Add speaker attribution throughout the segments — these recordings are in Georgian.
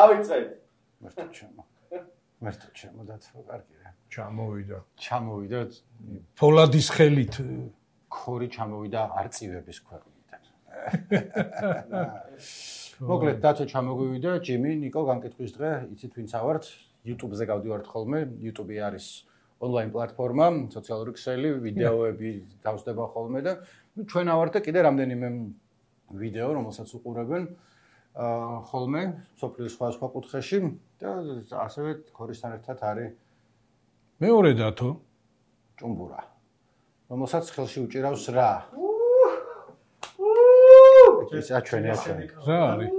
Speaker 1: დავიწყეთ.
Speaker 2: მერტო ჩემო დათო კარგი რა.
Speaker 3: ჩამოვიდა
Speaker 4: ფოლადის ხელით
Speaker 2: ქორი ჩამოვიდა არწივების ქვეყნიდან. მოკლედ დათო ჩამოგვივიდა, ჯიმი, ნიკო განკითხვის დღე, იცით ვინც ავართ, YouTube-ზე გავდივართ ხოლმე, YouTube არის ონლაინ პლატფორმა, სოციალური ქსელი, ვიდეოები დავსდება ხოლმე და ჩვენ ავართ და კიდე რამდენიმე ვიდეო, რომელსაც უყურებენ ხოლმე სოფლის სხვა კუთხეში და ასევე ქორისთან ერთად არის
Speaker 4: მეორე დათო
Speaker 2: ჭუმბურა, რომელსაც ხელში უჭირავს რა. ეს აჩვენე.
Speaker 4: რა არის?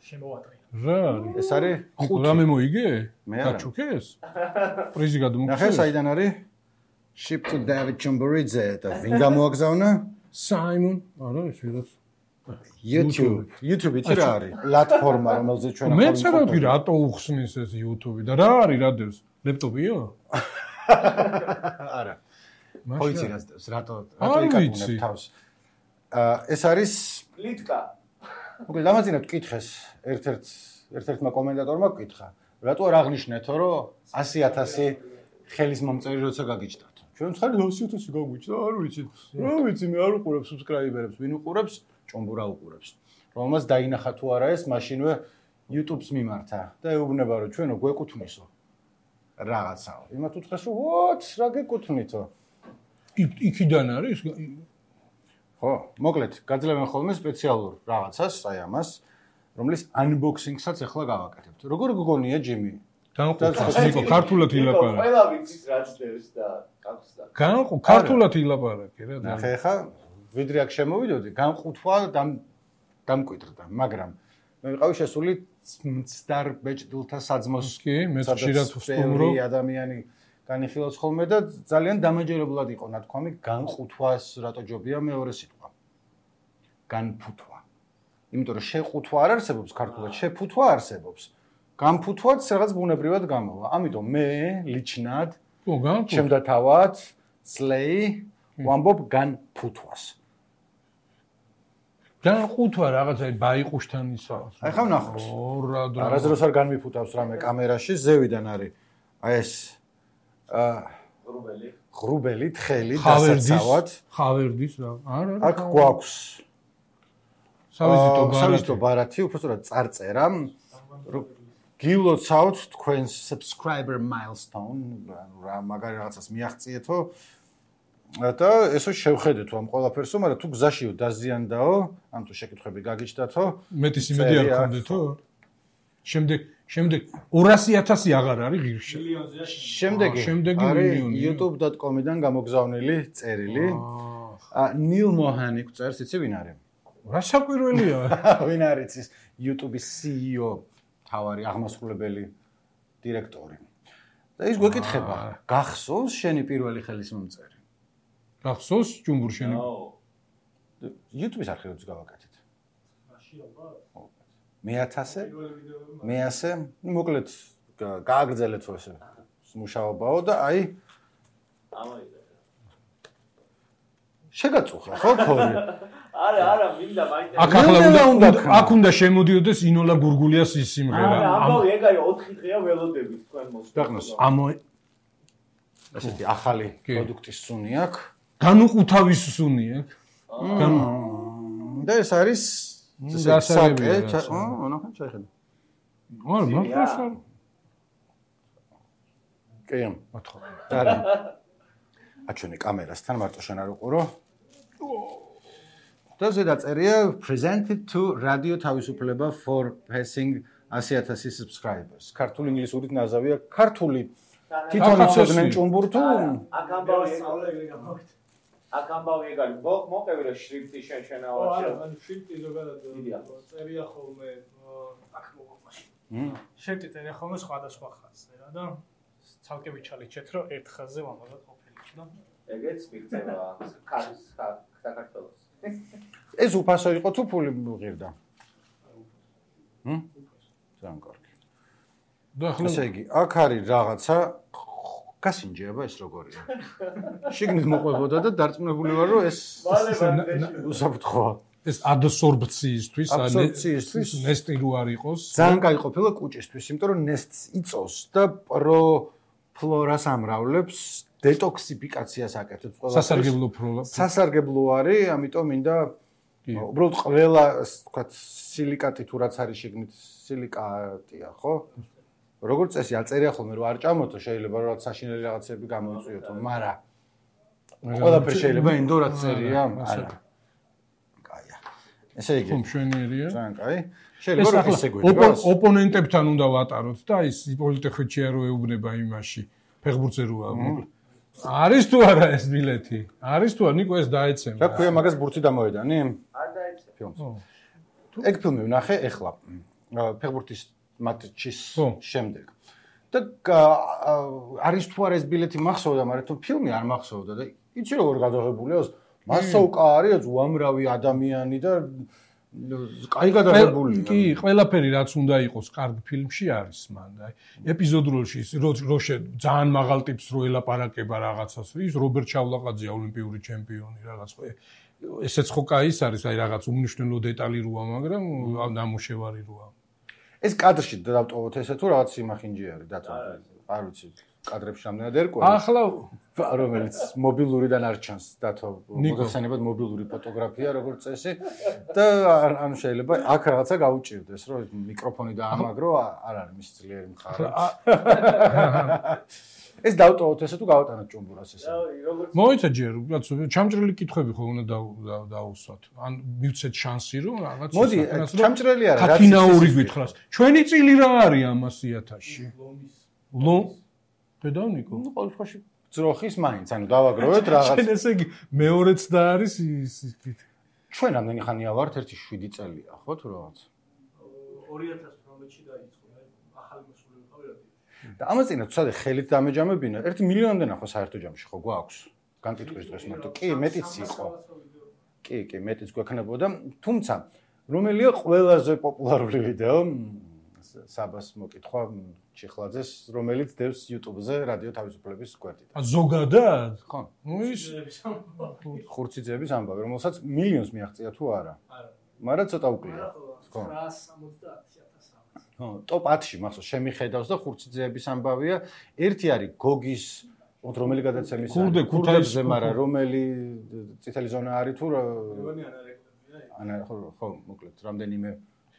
Speaker 5: შემოვატყი.
Speaker 4: რა არის?
Speaker 2: ეს არის ხუთი.
Speaker 4: რამე მოიგე?
Speaker 2: მე არა.
Speaker 4: გაჩუქეს? პრიზი გადმოგცეს?
Speaker 2: ნახე, საიდან არის? Ship to David Chumburidze და ვინ გამოაგზავნა?
Speaker 4: Simon. არა, ეს ვიღაც
Speaker 2: YouTube იცი რა არის? პლატფორმა, რომელზეც ჩვენ ახლა
Speaker 4: მეც რა ვთქვი, რატო უხსნის ეს YouTube და რა არის რადევს? ლეპტოპია?
Speaker 2: არა. ხოიცი რატო
Speaker 4: იკატუნებ
Speaker 2: თავს. ეს არის
Speaker 1: პლიტკა.
Speaker 2: მოკლედ დამაძინოთ კითხეს ერთ-ერთმა კომენტატორმა გკითხა. რატო არ აღნიშნეთო, რომ 100,000 ხელის მომწერი როცა გაგიჭდათ? ჩვენ ხარ 100,000 გაგვიჭდა, არ ვიცით. რა ვიცი, მე არ უყურებ subscriber-ებს, ვინ უყურებს? ჭუმბურა უყურებს. რომელსაც დაინახა თუ არა ეს, მაშინვე YouTube-ს მიმართა და ეუბნება, რომ ჩვენო გვეკუთვნისო. რაღაცაო. იმათ უთხრეს, რომ ვოთ, რა გეკუთვნითო?
Speaker 4: იქიდან არის?
Speaker 2: ხო, მოკლედ, გაძლევენ ხოლმე სპეციალურ რაღაცას, აი ამას, რომლის unboxing-საც ახლა გავაკეთებთ. როგორ გგონია ჯიმი?
Speaker 4: განყუთხეს, ნიკო, ქართულად ილაპარაკე.
Speaker 1: ყველა ვიცის რაც დევს და აქვს და.
Speaker 4: ქართულად ილაპარაკე რა.
Speaker 2: ნახე ხა, ვიდრე აქ შემოვიდოდი, განყუთვა დამკვიდრდა, მაგრამ მე ვიყავი შესული მცდარ ბეჭდილთა საძმოს.
Speaker 4: კი, მე ხშირად ვსტუმრო.
Speaker 2: ადამიანი განიხილავს ხოლმე და ძალიან დამაჯერებლად იყო ნათქვამი განყუთვას რატო ჯობია მეორე სიტყვა. განფუთვა. იმიტომ რომ შეყუთვა არ არსებობს ქართულად, შეფუთვა არსებობს. განფუთვაც რაღაც ბუნებრივად გამოვა. ამიტომ მე ლიჩნად ჩემდა თავად სლეი ვამბობ განფუთვას.
Speaker 4: განყუთვა რაღაცა ბაიყუშთან ისა.
Speaker 2: აი ხა ვნახოთ. არასდროს არ განმიფუთავს რამე კამერაში, ზევიდან არის. აი ეს ღრუბელი, თხელი, დასაცავად.
Speaker 4: ხავერდის რა. არა.
Speaker 2: აქ გვაქვს
Speaker 4: სავიზიტო
Speaker 2: ბარათი, უბრალოდ წარწერა. გილოცავთ თქვენს subscriber milestone, რა მაგარი რაღაცას მიაღწიეთო. და ესო შევხედეთ ამ ყველაფერსო, მაგრამ თუ გზაშიო დაზიანდაო, ან თუ შეკითხები გაგიჩნდათო,
Speaker 4: მეტის იმედი არ გქონდეთო? შემდეგ 200,000 აღარ არის ღირში.
Speaker 2: შემდეგი არის youtube.com-დან გამოგზავნილი წერილი. ნილ მოჰანი წერს, იცი ვინ არის?
Speaker 4: რა საკვირველია?
Speaker 2: ვინ არის ის YouTube-ის CEO, თავარი აღმასრულებელი დირექტორი. და ის გვეკითხება, გახსოვს შენი პირველი ხელის მომწერი?
Speaker 4: გახსოვს ჭუმბურ შენი?
Speaker 2: YouTube-ის არხივებს გავაკეთეთ. მე-1000? მოკლედ გააგრძელეთ ეს მუშაობაო და აი შეგაწუხა ხო ქორი?
Speaker 1: არა, მინდა მაინტერესებს.
Speaker 4: აქ უნდა შემოდიოდეს ინოლა გურგულიას ის სიმღერა.
Speaker 1: ამბავი ეგ არის 4 დღეა ველოდებით თქვენ მოსწონს.
Speaker 2: ესეთი ახალი პროდუქტის სუნი აქვს.
Speaker 4: განუყუთავის სუნი აქვს.
Speaker 2: და ეს არის
Speaker 4: გასაგებია.
Speaker 2: ნახე, ჩაიხედე.
Speaker 4: არა, მართლაც არ.
Speaker 2: კი, არა. აჩვენე კამერასთან, მარტო შენ არ უყურო. და ზედაწერია presented to radio თავისუფლება for passing 100,000 subscribers. ქართული ინგლისურით ნაზავია ქართული თვითონ იცოდნენ ჭუმბურ თუ
Speaker 1: აქ ამბავი ეგ არის. მოყევი რა შრიფტი შენაواشე.
Speaker 5: არა, ანუ შრიფტი ზოგადად წერია ხოლმე აქ მოგყვაში. შრიფტი წერია ხოლმე სხვადასხვა ხაზზე რა და ცალკე ვიჩალიჩეთ რომ ერთ ხაზზე ვამბობთ ყოფილი და
Speaker 1: ეგეც მიგწევა საქართველოს.
Speaker 2: ეს უფასო იყო თუ ფული მიღირდა? ძალიან კარგი.
Speaker 4: და ახლა
Speaker 2: ესე იგი, აქ არის რაღაცა გასინჯება ეს როგორია. შიგნით მოყვებოდა და დარწმუნებული ვარ რომ ეს უსაფრთხოა.
Speaker 4: ეს ადსორბციისთვის,
Speaker 2: აბსორბციისთვის
Speaker 4: ნესტი რო არ იყოს.
Speaker 2: ძალიან კაი ყოფილა კუჭისთვის, იმიტომ რომ ნესტს იწოს და პროფლორას ამრავლებს, დეტოქსიფიკაციას აკეთებს ყველა. სასარგებლო არის, ამიტომ მინდა უბრალოდ ყველა, ვთქვათ, სილიკატი თუ რაც არის შეგნით სილიკატია, ხო? როგორც წესი აწერია ხოლმე რომ არ ჭამოთო, შეიძლება რომ საშინელი რაღაცები გამოიწვიოთო, მაგრამ ყველაფერი შეიძლება ინდორად წერია, არა. კაია. ესე იგი.
Speaker 4: მშვენიერია.
Speaker 2: ძალიან კაი. შეიძლება რომ ისე გვიდგას.
Speaker 4: ოპონენტებთან უნდა ვატაროთ და ის პოლიტექნიკია რო ეუბნება იმაში, ფეხბურთზე როა. არის თუ არა ეს ბილეთი? არის თუ არა, ნიკო ეს დაეცემა.
Speaker 2: რა ქვია, მაგას ბურთი დამოედანი?
Speaker 1: არ დაეცემა.
Speaker 2: ფილმს. ეგ ფილმი ვნახე ეხლა. ფეხბურთის მატჩის შემდეგ. და არის თუ არა ეს ბილეთი მახსოვდა, მაგრამ თუ ფილმი არ მახსოვდა და იცი როგორ გადაღებულია, მასოვკა არის უამრავი ადამიანი და კაი გადაღებულია.
Speaker 4: კი, ყველაფერი რაც უნდა იყოს კარგ ფილმში არის მან. აი, ეპიზოდურში რო ძალიან მაღალ ტიპს რო ელაპარაკება რაღაცას, ის რობერტ ჩავლაყაძეა ოლიმპიური ჩემპიონი რაღაც ხო. ესეც ხო კაი არის, აი რაღაც უმნიშვნელო დეტალი როა, მაგრამ ნამუშევარი როა.
Speaker 2: ეს კადრში დავტოვოთ ესე თუ რაღაც სიმახინჯი არის დათო. არ ვიცი. კადრებში რამდენად ერკვე.
Speaker 4: ახლა
Speaker 2: რომელიც მობილურიდან არ ჩანს დათო. მოგხსენებათ მობილური ფოტოგრაფია როგორც წესი და ანუ შეიძლება აქ რაღაცა გაუჭირდეს რომ მიკროფონი დაამაგრო არ არის მის ძლიერი მხარე. ეს დავტოვოთ ესე თუ გავატანოთ ჭუმბურას ესე.
Speaker 4: მოიცა ჯერ, ჩამჭრელი კითხვები ხო უნდა დაუსვათ. ან მივცეთ შანსი რომ რაღაც
Speaker 2: მოდი, ჩამჭრელი არა,
Speaker 4: რაც ფინაური გითხრას. ჩვენი წილი რა არის 100,000-ში? ლო დედავნიკო.
Speaker 2: ნუ ყოველ შემთხვევაში ძროხის მაინც, ანუ დავაგროვეთ რაღაც.
Speaker 4: შენ ესე იგი მეორეც და არის ის
Speaker 2: ჩვენ რამდენი ხანია ვართ? 7 წელია, ხო თუ რაღაც?
Speaker 5: 2018-ში დაიწყო, ახალი მოსული ვიყავი.
Speaker 2: და ამაზე ცოტა ხელით დამეჯამებინა. 1 მილიონამდე ხო საერთო ჯამში ხო გვაქვს? განკითხვის დღეს მარტო. კი, მეტიც იყო. კი, მეტიც გვექნებოდა, თუმცა რომელია ყველაზე პოპულარული ვიდეო? საბას მოკითხვა ჩიხლაძეს, რომელიც დევს YouTube-ზე რადიო თავისუფლების გვერდიდან.
Speaker 4: ზოგადად?
Speaker 2: ხო.
Speaker 4: ნუ ის
Speaker 2: ხურციძეების ამბავი, რომელსაც მილიონს მიაღწია თუ არა? არა. მაგრამ ცოტა უკლია.
Speaker 5: ხო. 970,000.
Speaker 2: ხო, ტოპ 10-ში მახსოვს შემიხედავს და ხურციძეების ამბავია. ერთი არის გოგის რომელი გადაცემის
Speaker 4: ქურდებზე,
Speaker 2: მაგრამ რომელი წითელი ზონა არის თუ ანა ხო, მოკლედ რამდენიმე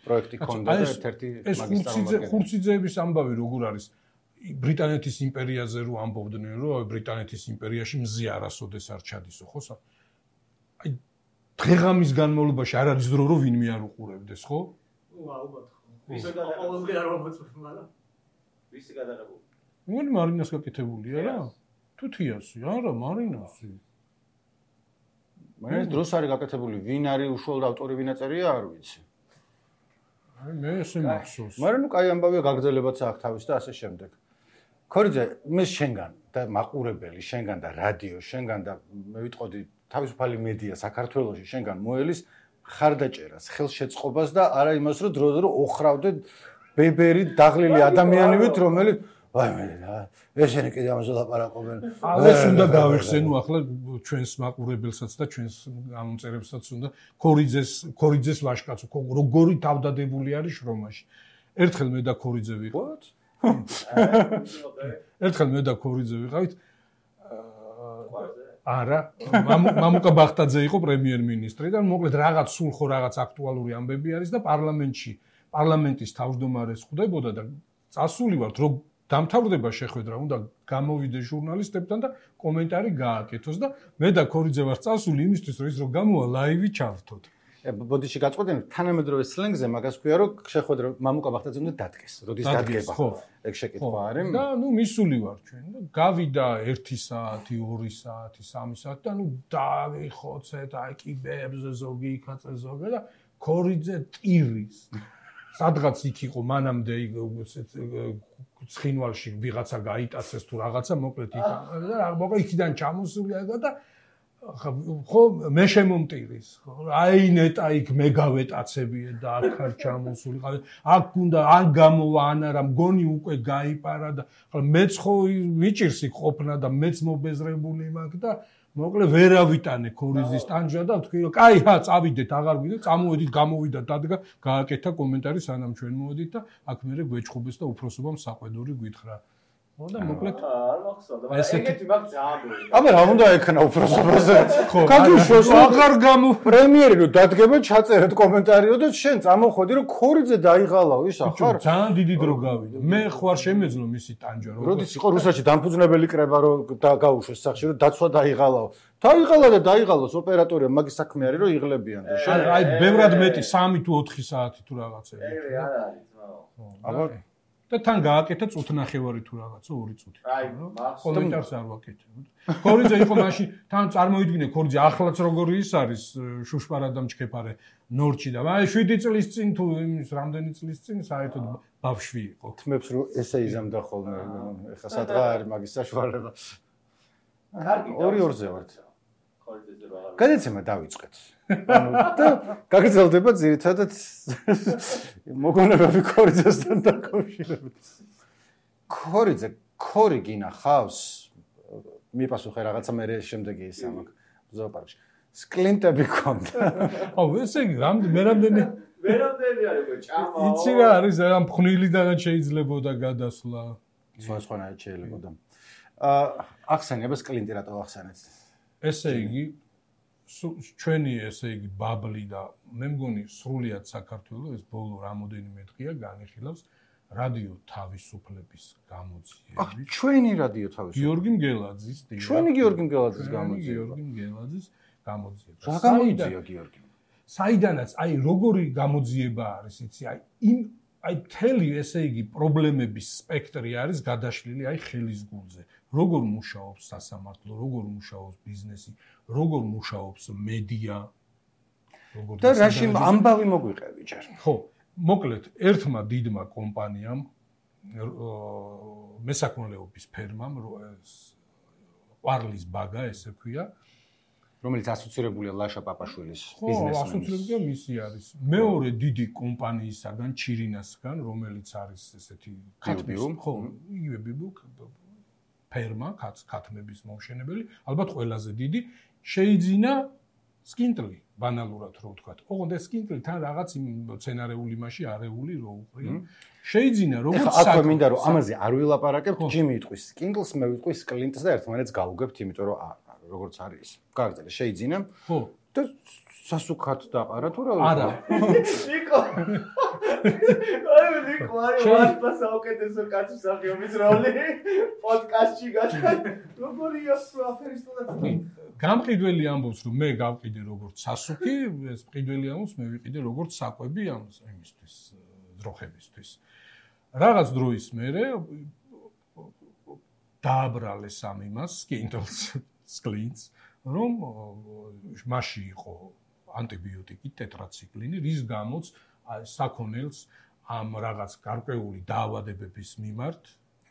Speaker 2: პროექტი ქონდა და ერთ-ერთი
Speaker 4: მაგისტრალი ხურციძეების ამბავი როგორ არის ბრიტანეთის იმპერიაზე რო ამბობდნენ რომ ბრიტანეთის იმპერიაში მზე არასოდეს არ ჩადისო ხო აი დღეღამის განმავლობაში არ არის დრო რომ ვინმე არ უყურებდეს ხო?
Speaker 5: ალბათ ხო. ვისი ყოველდღე არ მომწვევ მაგრამ ვისი გადაღებული?
Speaker 4: ნუ მარინას გაკეთებულია რა? თუთიასი არა მარინასი.
Speaker 2: მაგრამ დროს არის გაკეთებული ვინ არის უშუალოდ ავტორი ვინ აწერია არ ვიცი.
Speaker 4: აი მე ესე მახსოვს.
Speaker 2: მაგრამ ნუ კაი ამბავია გაგრძელებაც აქვს თავის და ასე შემდეგ. ქორიძე მე შენგან და მაყურებელი შენგან და რადიო შენგან და მე ვიტყოდი თავისუფალი მედია საქართველოში შენგან მოელის ხარდაჭერას, ხელშეწყობას და არა იმას რომ დრო-დრო ოხრავდე ბებერი დაღლილი ადამიანივით რომელიც აი მე ესენი კიდე ამაზე ლაპარაკობენ.
Speaker 4: ეს უნდა გავიხსენო ახლა ჩვენს მაყურებელსაც და ჩვენს გამომწერებსაც უნდა ქორიძეს ვაშკაცო როგორი თავდადებული არის შრომაში. ერთხელ მე და ქორიძე ვიყავით. ერთხელ მე და ქორიძე ვიყავით. არა, მამუკა ბახტაძე იყო პრემიერ-მინისტრი და მოკლედ რაღაც სულ ხო რაღაც აქტუალური ამბები არის და პარლამენტის თავმჯდომარეს ხვდებოდა და წასული ვართ რომ დამთავრდება შეხვედრა, უნდა გამოვიდე ჟურნალისტებთან და კომენტარი გააკეთოს და მე და ქორიძე ვარ წასული იმისთვის რომ ის რომ გამოვა ლაივი ჩავრთოთ.
Speaker 2: ბოდიში გაწყვეტენ თანამედროვე სლენგზე მაგას ქვია რომ შეხვედრა მამუკა ბახტაძე უნდა დადგეს. როდის დადგება? ეგ შეკითხვა არის.
Speaker 4: და ნუ მისული ვარ ჩვენ და გავიდა 1 საათი, 2 საათი, 3 საათი და ნუ დავიხოცეთ აი კიბებზე ზოგი იქაც ზოგი და ქორიძე ტირის. სადღაც იქ იყო მანამდე ცხინვალში ვიღაცა გაიტაცეს თუ რაღაცა მოკლედ იქ და მოკლედ იქიდან ჩამოსული და ხო მე შემომტირის ხო აი ნეტა იქ მე გავეტაცებიე და აქ არ ჩამოსული ყავი აქ უნდა ან გამოვა ან არა მგონი უკვე გაიპარა და ხო მეც ხო მიჭირს იქ ყოფნა და მეც მობეზრებული მაქვს და მოკლე ვერავიტანე ქორიძის ტანჯვა და ვთქვი რომ კაი წავიდეთ აღარ გვიდეთ წამოვედით გამოვიდა დადგა გააკეთა კომენტარი სანამ ჩვენ მოვედით და აქ მერე გვეჩხუბეს და უფროსობამ საყვედური გვითხრა და მოკლედ
Speaker 1: არ მახსოვდა ეგეთი მაგ ძალიან
Speaker 2: აბა რა უნდა ექნა უფროსობაზე
Speaker 4: ხო
Speaker 2: გაგიშვეს
Speaker 4: აღარ გამო
Speaker 2: პრემიერი რომ დადგება ჩაწერეთ კომენტარიო და შენ წამოხვედი რომ ქორიძე დაიღალაო ის ახარ
Speaker 4: ძალიან დიდი დრო გავიდა მე ხوار შემეძლო მისი ტანჯვა
Speaker 2: როდის იყო რუსეთში დამფუძნებელი კრება რომ გაუშვეს სახში რომ დაცვა დაიღალაო დაიღალა და დაიღალოს ოპერატორია მაგის საქმე არის რომ იღლებიან და
Speaker 4: შენ აი ბევრად მეტი 3 თუ 4 საათი თუ რაღაცები
Speaker 1: ეგრე არ არის ძმაო
Speaker 2: აბა
Speaker 4: და თან გააკეთა წუთნახევარი თუ რაღაცა 2 წუთი.
Speaker 1: აი,
Speaker 4: კომენტარს არ ვაკეთებ. ქორიძე იყო მაშინ თან წარმოიდგინე ქორიძე ახლაც როგორი ის არის შუშპარა და მჩქეფარე ნორჩი და აი 7 წლის წინ თუ იმის რამდენი წლის წინ საერთოდ ბავშვი იყო.
Speaker 2: თმებს რომ ესე იზამდა ხოლმე ეხა სადღა არის მაგის საშუალება.
Speaker 1: კარგი
Speaker 2: 2-2-ზე ვართ.
Speaker 1: ქორიძეზე რა არის?
Speaker 2: გადაცემა დავიწყეთ. ანუ და გაგრძელდება ძირითადად მოგონებები ქორიძესთან დაკავშირებით. ქორი გინახავს? მიპასუხე რაღაცა მე შემდეგი ის ამაკ ზოოპარკში. სკლინტები ქონდა.
Speaker 4: აუ ესე იგი რამდენი
Speaker 1: არის ჭამა.
Speaker 4: იცი რა არის ამ ფხნილიდანაც შეიძლებოდა გადასვლა.
Speaker 2: სხვანაირად შეიძლებოდა. ახსენე სკლინტი რატო ახსენეთ?
Speaker 4: ესე იგი ჩვენი ესე იგი ბაბლი და მე მგონი სრულიად საქართველოს ეს ბოლო რამოდენიმე დღეა განიხილავს რადიო თავისუფლების გამოძიებით.
Speaker 2: ჩვენი რადიო თავისუფლების.
Speaker 4: გიორგი მგელაძის
Speaker 2: ჩვენი გიორგი მგელაძის გამოძიება.
Speaker 4: გიორგი მგელაძის გამოძიება.
Speaker 2: რა გამოძია გიორგი?
Speaker 4: საიდანაც აი როგორი გამოძიება არის იცი აი თელი ესე იგი პრობლემების სპექტრი არის გადაშლილი აი ხელის გულზე. როგორ მუშაობს სასამართლო, როგორ მუშაობს ბიზნესი, როგორ მუშაობს მედია, როგორ
Speaker 2: და რაში ამბავი მოგვიყევი ჯერ.
Speaker 4: ხო, მოკლედ ერთმა დიდმა კომპანიამ მესაქონლეობის ფერმამ ყვარლის ბაგა ესე ქვია,
Speaker 2: რომელიც ასოცირებულია ლაშა პაპაშვილის
Speaker 4: ბიზნესმენის. ხო, ასოცირებულია მისი არის. მეორე დიდი კომპანიისაგან, ჩირინასგან, რომელიც არის ესეთი ქათმის, ხო, იგივე ბიბუ ფერმა, ქათმების მომშენებელი, ალბათ ყველაზე დიდი, შეიძინა სკინტლი, ბანალურად რო ვთქვათ. ოღონდ ეს სკინტლი თან რაღაც იმ სცენარეული მასში არეული რო უყრია. შეიძინა როგორც
Speaker 2: აქვე მინდა რომ ამაზე არ ვილაპარაკებთ, ჯიმი იტყვის სკინტლს, მე ვიტყვი სკლინტს და ერთმანეთს გავუგებთ, იმიტომ რომ როგორც არის. გაგრძელე, შეიძინა.
Speaker 4: ხო.
Speaker 2: და სასუქად დაყარა თუ რა?
Speaker 4: არა.
Speaker 1: ნიკო. აი ნიკო, ვარსა საუკეთესო კაცი მსახიობის როლი პოდკასტში გაჩვენ. როგორია პროფესიონალი?
Speaker 4: გამყიდველი ამბობს რომ მე გავყიდე როგორც სასუქი, ეს მყიდველი ამბობს მე ვიყიდე როგორც საკვები იმისთვის, ძროხებისთვის. რაღაც დროის მერე დააბრალეს ამ იმას, სკინტლს, სკლინტს, რომ მასში იყო ანტიბიოტიკი, ტეტრაციკლინი, რის გამოც საქონელს ამ რაღაც გარკვეული დაავადებების მიმართ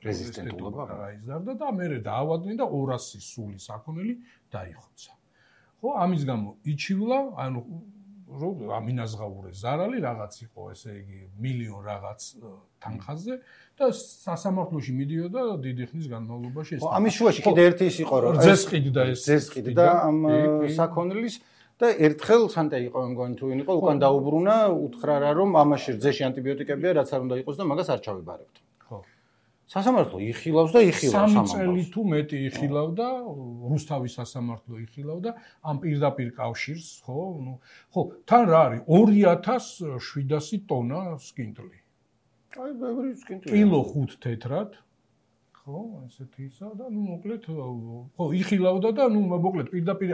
Speaker 2: რეზისტენტულობა
Speaker 4: გაიზარდა და მერე დაავადნენ და 200 სული საქონელი დაიხოცა. ხო, ამის გამო იჩივლა, ანუ რომ ამინაზღაურე ზარალი რაღაც იყო, ესე იგი, მილიონ რაღაც თანხაზე და სასამართლოში მიდიოდა დიდი ხნის განმავლობაში ეს.
Speaker 2: ხო, ამის შუაში კიდე ერთი ის იყო, რომ ზესყიდა ამ საქონლის და ერთხელ სანტე იყო მგონი თუ ვინ იყო, უკან დაუბრუნა, უთხრა რა რომ ამაში რძეში ანტიბიოტიკებია, რაც არ უნდა იყოს და მაგას არ ჩავიბარებთ.
Speaker 4: ხო.
Speaker 2: სასამართლო იხილავს და იხილავს
Speaker 4: ამას. 3 წელი თუ მეტი იხილავდა, რუსთავის სასამართლო იხილავდა ამ პირდაპირ კავშირს, ხო? ნუ ხო, თან რა არის 2700 ტონა სკინტლი.
Speaker 2: აი, ბევრი სკინტლი.
Speaker 4: კილო 5 თეთრად. ხო, ესეთი ისა და ნუ მოკლედ ხო, იხილავდა და ნუ მოკლედ პირდაპირ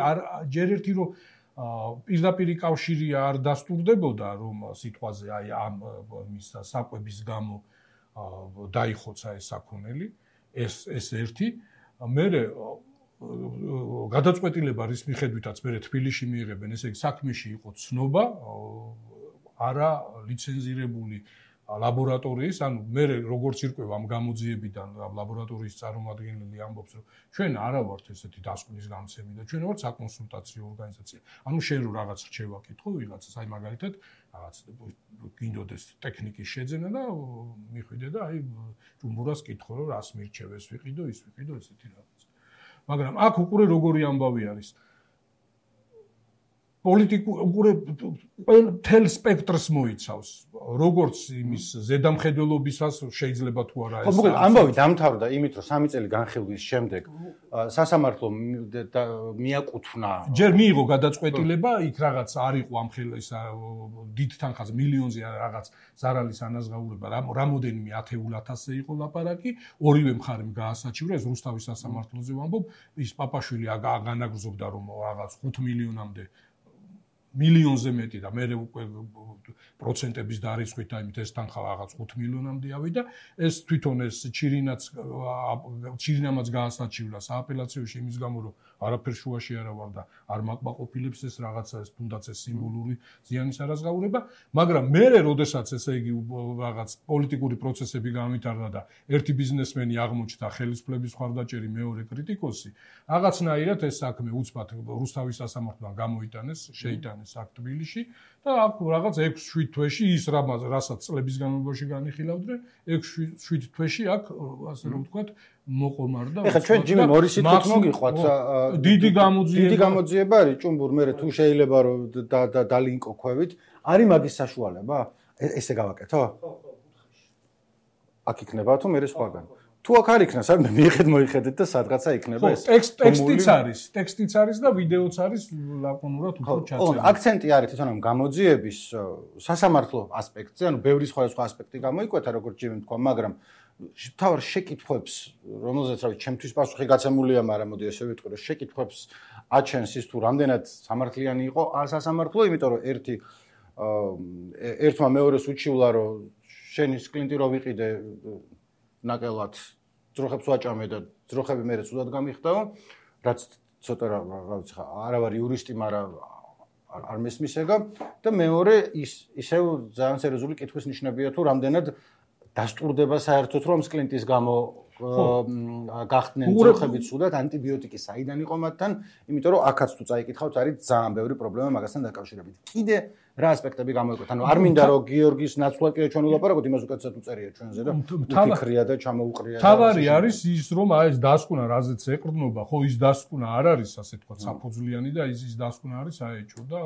Speaker 4: ჯერ ერთი რომ პირდაპირი კავშირი არ დასტურდებოდა რომ სიტყვაზე აი ამ მის საკვების გამო დაიხოცა ეს საქონელი, ეს ერთი. მერე გადაწყვეტილება რის მიხედვითაც მერე თბილისში მიიღებენ, ესე იგი საქმეში იყო ცნობა, არა ლიცენზირებული ლაბორატორიის, ანუ მე როგორც ირკვევა ამ გამოძიებიდან ლაბორატორიის წარმომადგენელი ამბობს, რომ ჩვენ არა ვართ ესეთი დასკვნის გამცემი და ჩვენ ვართ საკონსულტაციო ორგანიზაცია. ანუ შენ რო რაღაც რჩევა კითხო ვიღაცას, აი მაგალითად, რაღაც გინდოდეს ტექნიკის შეძენა და მიხვიდე და აი ჯუმბურას კითხო, რომ რას მირჩევ ეს ვიყიდო, ის ვიყიდო, ესეთი რაღაც. მაგრამ აქ უკვე როგორი ამბავი არის. პოლიტიკურ მთელ სპექტრს მოიცავს, როგორც იმის ზედამხედველობისას შეიძლება თუ არა ეს.
Speaker 2: მოკლედ ამბავი დამთავრდა იმით, რომ 3 წელი განხილვის შემდეგ სასამართლო მიაკუთვნა.
Speaker 4: ჯერ მიიღო გადაწყვეტილება, იქ რაღაც არ იყო ამ ხელის დიდ თანხაზე მილიონზე რაღაც ზარალის ანაზღაურება, რამოდენიმე 10,000-ზე იყო ლაპარაკი, ორივე მხარემ გაასაჩივრა, ეს რუსთავის სასამართლოზე ვამბობ, ის პაპაშვილი განაგრძობდა რომ რაღაც 5 მილიონამდე მილიონზე მეტი და მე უკვე პროცენტების დარიცხვით აიმით ეს თანხა რაღაც 5 მილიონამდე ავიდა ეს თვითონ ეს ჩირინამაც გაასაჩივლა სააპელაციოში იმის გამო რომ არაფერ შუაში არა ვარ და არ მაკმაყოფილებს ეს რაღაცა ეს თუნდაც ეს სიმბოლური ზიანის არაზღაურება მაგრამ მე როდესაც ესე იგი რაღაც პოლიტიკური პროცესები გამიტარდა და ერთი ბიზნესმენი აღმოჩნდა ხელისუფლების მხარდაჭერი მეორე კრიტიკოსი რაღაცნაირად ეს საქმე უცბად რუსთავის სასამართლოდან გამოიტანეს შეიტანეს აქ თბილისში და აქ რაღაც 6-7 თვეში ის რასაც წლების განმავლობაში განიხილავდნენ 6-7 თვეში აქ ასე რომ ვთქვათ მოყომარდა
Speaker 2: ეხლა ჩვენ ჯიმი მორისით მოგიყვათ
Speaker 4: დიდი გამოძიება
Speaker 2: არის ჭუმბურ მე თუ შეიძლება რომ დალინკოქვევით არის მაგის საშუალება ესე გავაკეთო აქ იქნება თუ მე სხვაგან თუ აქ არ იქნას არ მიიღეთ მოიხედეთ და სადღაცა იქნება ეს
Speaker 4: ტექსტიც არის და ვიდეოც არის ლაკონურად უფრო ჩაცებული.
Speaker 2: აქცენტი არის თვითონ ამ გამოძიების სასამართლო ასპექტზე, ანუ ბევრი სხვა ასპექტი გამოიკვეთა, როგორც ჯიმი თქვა, მაგრამ თავარ შეკითხვებს, რომელზეც რავი, ჩემთვის პასუხი გაცემულია, მაგრამ მოდი ესე ვიტყვი, რომ შეკითხვებს აჩენს ის თუ რამდენად სამართლიანი იყო სასამართლო, იმიტომ რომ ერთმა მეორეს უჩივლა, რომ შენის კლინტი რო ვიყიდე ნაკელად ძროხებს ვაჭამე და ძროხები მერე სულად გამიხდაო, რაც ცოტა რაღაც არა ვარ იურისტი, მაგრამ არ მესმის ეგა და მეორე ისევ ძალიან სერიოზული კითხვის ნიშნებია თუ რამდენად დასტურდება საერთოდ რომ კლინტის გამო გახდნენ ძროხები სულად ანტიბიოტიკი საიდან იყო მათთან, იმიტომ რომ აქაც თუ წაიკითხავთ არის ძალიან ბევრი პრობლემა მაგასთან დაკავშირებით. კიდე რა ასპექტები გამოიკვეთა? ანუ არ მინდა რომ გიორგის ნაცვლად კიდე ჩვენ ვილაპარაკოთ, იმას უკეთესად უწერია ჩვენზე და უფიქრია და ჩამოუყრია.
Speaker 4: თავარი არის ის რომ აი ეს დასკვნა რაზეც ეყრდნობა, ხო ის დასკვნა არ არის ასე თქვა საფუძვლიანი და ის დასკვნა არის აეჭო და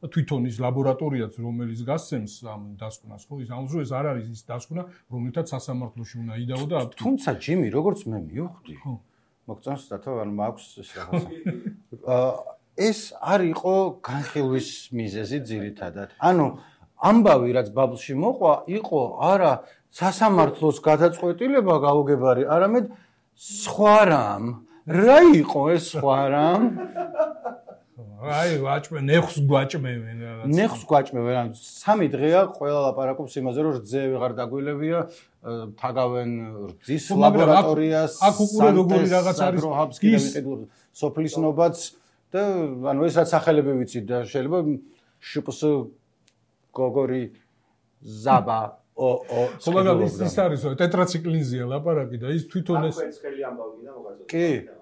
Speaker 4: თვითონ ის ლაბორატორიაც რომელიც გასცემს ამ დასკვნას ხო ის ამჟამად ეს არ არის ის დასკვნა რომელთაც სასამართლოში უნდა იდაო და
Speaker 2: თუმცა ჯიმი როგორც მე მივხვდი მოგწონს დათო ანუ მაქვს ეს რაღაცა ეს არ იყო განხილვის მიზეზი ძირითადად ანუ ამბავი რაც ბაბლში მოყვა იყო არა სასამართლოს გადაწყვეტილება გაუგებარი არამედ სხვა რამ რა იყო ეს სხვა რამ
Speaker 4: აი ვაჭმე ნეხს გვაჭმევენ რაღაც
Speaker 2: ნეხს გვაჭმევენ ანუ 3 დღეა ყველა ლაპარაკობს იმაზე რომ რძე ვეღარ დაგვილებია თაგავენ რძის ლაბორატორიას
Speaker 4: აქ უკვე როგორი რაღაც არის
Speaker 2: ის სოფლის ნობაც და ანუ ეს რაც სახელები ვიცით და შეიძლება შპს გოგორი ზაბა
Speaker 4: ხო მაგრამ ის არის რომ ტეტრაციკლინზია ლაპარაკი და ის თვითონ ეს
Speaker 1: ხელი ამბავი და მოგაწოდე
Speaker 2: კი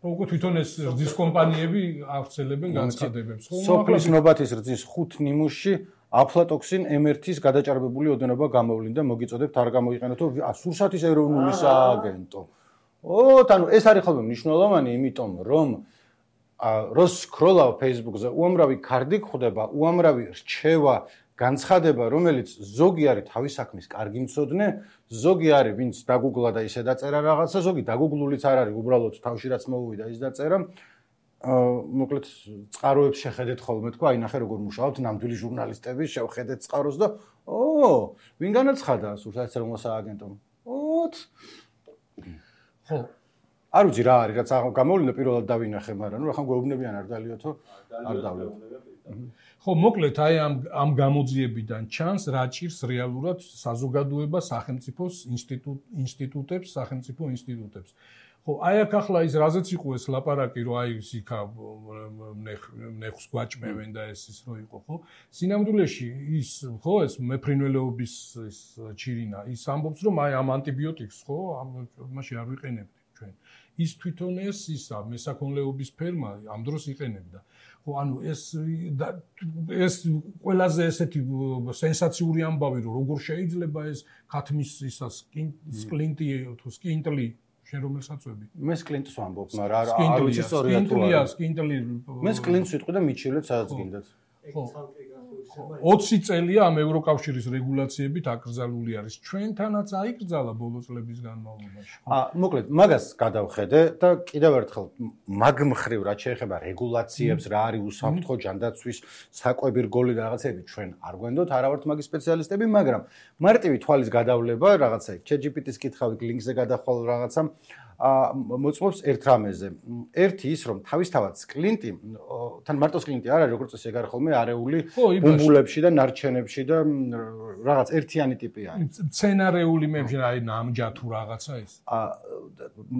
Speaker 4: უკვე თვითონ ეს რძის კომპანიები ავრცელებენ განცხადებებს ხო
Speaker 2: სოფლის ნობათის რძის 5 ნიმუშში აფლატოქსინ M1-ის გადაჭარბებული ოდენობა გამოვლინდა მოგიწოდებთ არ გამოიყენოთ სურსათის ეროვნული სააგენტო ანუ ეს არის ხოლმე მნიშვნელოვანი იმიტომ რომ როს სკროლავ Facebook-ზე უამრავი კარდი გვხვდება უამრავი რჩევა განცხადება რომელიც ზოგი არის თავის საქმის კარგი მცოდნე ზოგი არის ვინც დაგუგლა და ისე დაწერა რაღაცა ზოგი დაგუგლულიც არ არის უბრალოდ თავში რაც მოუვიდა ის დაწერა მოკლედ წყაროებს შეხედეთ ხოლმე თქვა აი ნახე როგორ მუშაობთ ნამდვილი ჟურნალისტები შევხედეთ წყაროს და ვინ განაცხადა სურსათის ეროვნულ სააგენტომ ხო არ ვიცი რა არის რაც გამოვლინდა პირველად დავინახე მაგრამ ნუ ახლა გვეუბნებიან არ დალიოთო არ დავლიოთ
Speaker 4: ხო მოკლედ აი ამ გამოძიებიდან ჩანს რა ჭირს რეალურად საზოგადოება სახელმწიფოს ინსტიტუტებს სახელმწიფო ინსტიტუტებს ხო აი აქ ახლა ის რაზეც იყო ეს ლაპარაკი რომ აი იქა ნეხს გვაჭმევენ და ეს რო იყო ხო სინამდვილეში ის ხო ეს მეფრინველეობის ის ჩირინა ის ამბობს რომ აი ამ ანტიბიოტიკს ხო ამაში არ ვიყენებთ ჩვენ ის თვითონ ისა მესაქონლეობის ფერმა ამ დროს იყენებდა ხო ანუ ეს ყველაზე ესეთი სენსაციური ამბავი რომ როგორ შეიძლება ეს ქათმის ისა სკლინტი თუ სკინტლი შენ რომელ საწვევი?
Speaker 2: მე სკლინტს ვამბობ, მაგრამ არ ვიცი სწორია თუ არა.
Speaker 4: სკლინტლი.
Speaker 2: მე სკლინტს ვიტყვი და მიჩილეთ სადაც გინდათ.
Speaker 4: 20 წელია ამ ევროკავშირის რეგულაციებით აკრძალული არის. ჩვენთანაც აიკრძალა ბოლო წლების განმავლობაში.
Speaker 2: მოკლედ, მაგას გადავხედე და კიდევ ერთხელ მაგ მხრივ რაც შეეხება რეგულაციებს, რა არის უსაფრთხო ჯანდაცვის საკვები რგოლი და რაღაცები ჩვენ არ გვენდოთ, არა ვართ მაგის სპეციალისტები, მაგრამ მარტივი თვალის გადავლება რაღაცა ChatGPT-ს კითხავით ლინკზე გადახვალ რაღაცა მოწმობს ერთ რამეზე. ერთი ის რომ თავისთავად სკლინტი, თან მარტო სკლინტი არ არის, როგორც ესე გარხ ხოლმე არეული ბუმბულებში და ნარჩენებში და რაღაც ერთიანი ტიპი არის.
Speaker 4: მცენარეული მემში აი ნამჯა თუ რაღაცა ის.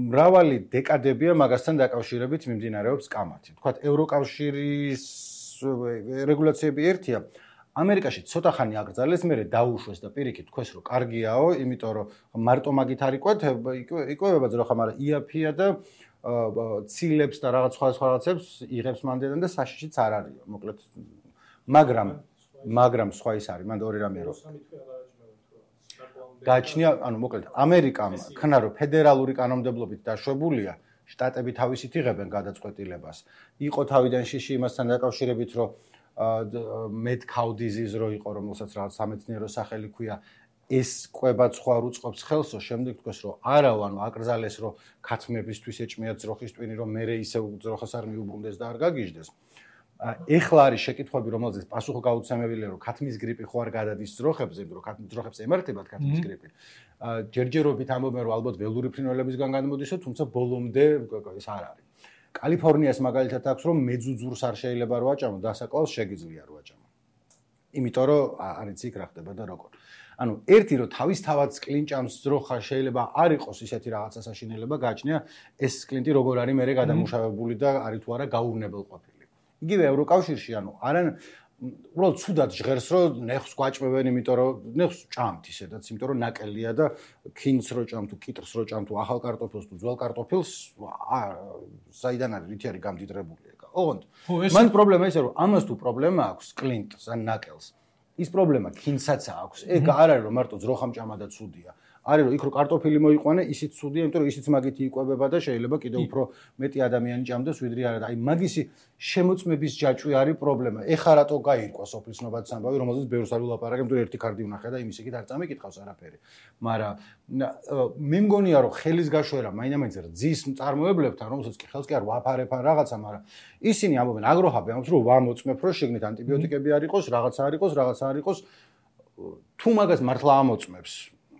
Speaker 2: მრავალი დეკადებია მაგასთან დაკავშირებით მიმდინარეობს კამათი. თქვათ ევროკავშირის რეგულაციები ერთია. ამერიკაში ცოტა ხანი აკრძალეს, მერე დაუშვეს და პირიქით თქვეს რომ კარგიაო, იმიტომ რომ მარტო მაგით არ იკვებება ძროხა, მაგრამ იაფია და ცილებს და რაღაც სხვა რაღაცებს იღებს მანდედან და საშიშიც არ არისო. მოკლედ მაგრამ სხვა ის არის, მანდ ორი რამე რომ გააჩნია, ანუ მოკლედ ამერიკამ ქნა რომ ფედერალური კანონმდებლობით დაშვებულია, შტატები თავისით იღებენ გადაწყვეტილებას. იყო თავიდან შიში იმასთან დაკავშირებით, რომ mad cow disease რო იყო, რომელსაც რაღაც სამეცნიერო სახელი ქვია, ეს კვებაც სხვა უწყობს ხელსო, შემდეგ თქვეს რომ არავ, ანუ აკრძალეს რომ ქათმებისთვის ეჭმიათ ძროხის ტვინი, რომ მე ისე ძროხას არ მიუბრუნდეს და არ გაგიჟდეს. ეხლა არის შეკითხვები, რომელზეც პასუხი გაუცემელია, რომ ქათმის გრიპი ხო არ გადადის ძროხებზე, იმიტომ რომ ქათმის ძროხებს ემართებათ ქათმის გრიპი. ჯერჯერობით ამბობენ რომ ალბათ ველური ფრინველებისგან განმოდისო, თუმცა ბოლომდე ეს არ არის. კალიფორნიას მაგალითად აქვს რომ მეძუძურს არ შეიძლება რო აჭამო, დასაკლავს შეგიძლია რო აჭამო. იმიტომ რომ არის იქ რა ხდება და როგორ. ანუ ერთი რომ თავისთავად სკლინჭამს ძროხა შეიძლება არ იყოს ისეთი რაღაცა საშინელება, გააჩნია ეს სკლინტი როგორ არის მერე გადამუშავებული და არის თუ არა გაურნებელყოფილი. იგივე ევროკავშირში, ანუ არან უბრალოდ ცუდად ჟღერს რომ ნეხს გვაჭმევენ, იმიტომ რომ ნეხს ჭამთ ისედაც, იმიტომ რომ ნაკელია და ქინს რო ჭამ თუ კიტრს რო ჭამ თუ ახალ კარტოფილს თუ ძველ კარტოფილს, საიდან არის რითი არის გამდიდრებული ეგა. ოღონდ მან პრობლემა ისე რომ ამას თუ პრობლემა აქვს სკლინტს ან ნაკელს, ის პრობლემა ქინსაც აქვს. ეგ არ არის რომ მარტო ძროხამ ჭამა და ცუდია. არის რომ იქ რო კარტოფილი მოიყვანე, ისიც ცუდია, იმიტომ რომ ისიც მაგითი იკვებება და შეიძლება კიდევ უფრო მეტი ადამიანი ჭამდეს ვიდრე არა. აი მაგისი შემოწმების ჯაჭვი არის პრობლემა. ეხა რატო გაირკვა სოფლის ნობადის ამბავი, რომელზეც ბევრს არ ვილაპარაკებ, იმიტომ რომ ერთი კარდი ვნახე და იმის იქით არ წამიკითხავს არაფერი. მაგრამ მე მგონია რომ ხელის გაშვერა მაინდა-მაინც რძის მწარმოებლებთან, რომელსაც კი ხელს კი არ ვაფარებ ან რაღაცა, მაგრამ ისინი ამბობენ, აგროჰაბი ამბობს რომ ვამოწმებ, რომ შეგნით ანტიბიოტიკები არ იყოს, რაღაცა არ იყოს, რაღაცა არ იყოს. თუ მაგას მართლა ამოწმებს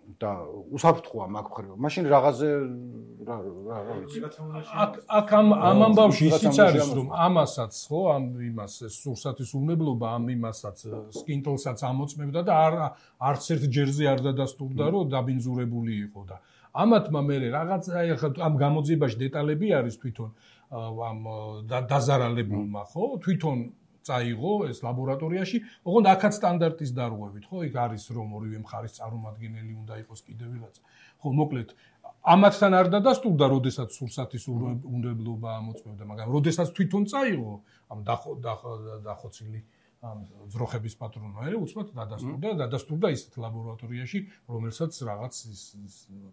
Speaker 2: და უსაფრთხოა მაგ მხრივ. მაშინ რაღაცზე რა ვიცი.
Speaker 4: აქ ამ ამბავში ისიც არის რომ ამასაც ხო, ამ იმას სურსათის უნებლობა ამ იმასაც სკინტლსაც ამოწმებდა და არც ერთ ჯერზე არ დადასტურდა რომ დაბინძურებული იყო და ამათმა მე რაღაც ამ გამოძიებაში დეტალები არის თვითონ ამ დაზარალებულმა ხო, თვითონ წაიღო ეს ლაბორატორიაში, ოღონდ აქაც სტანდარტის დარღვევით, ხო, იქ არის რომ ორივე მხარის წარმომადგენელი უნდა იყოს კიდევ ვიღაცა. ხო, მოკლედ, ამათთან არ დადასტურდა, როდესაც სურსათის უნდებლობა ამოწმებდა, მაგრამ როდესაც თვითონ წაიღო ამ დახოცილი ამ ძროხების პატრონოერე, უცბად დადასტურდა ისეთ ლაბორატორიაში, რომელსაც რაღაც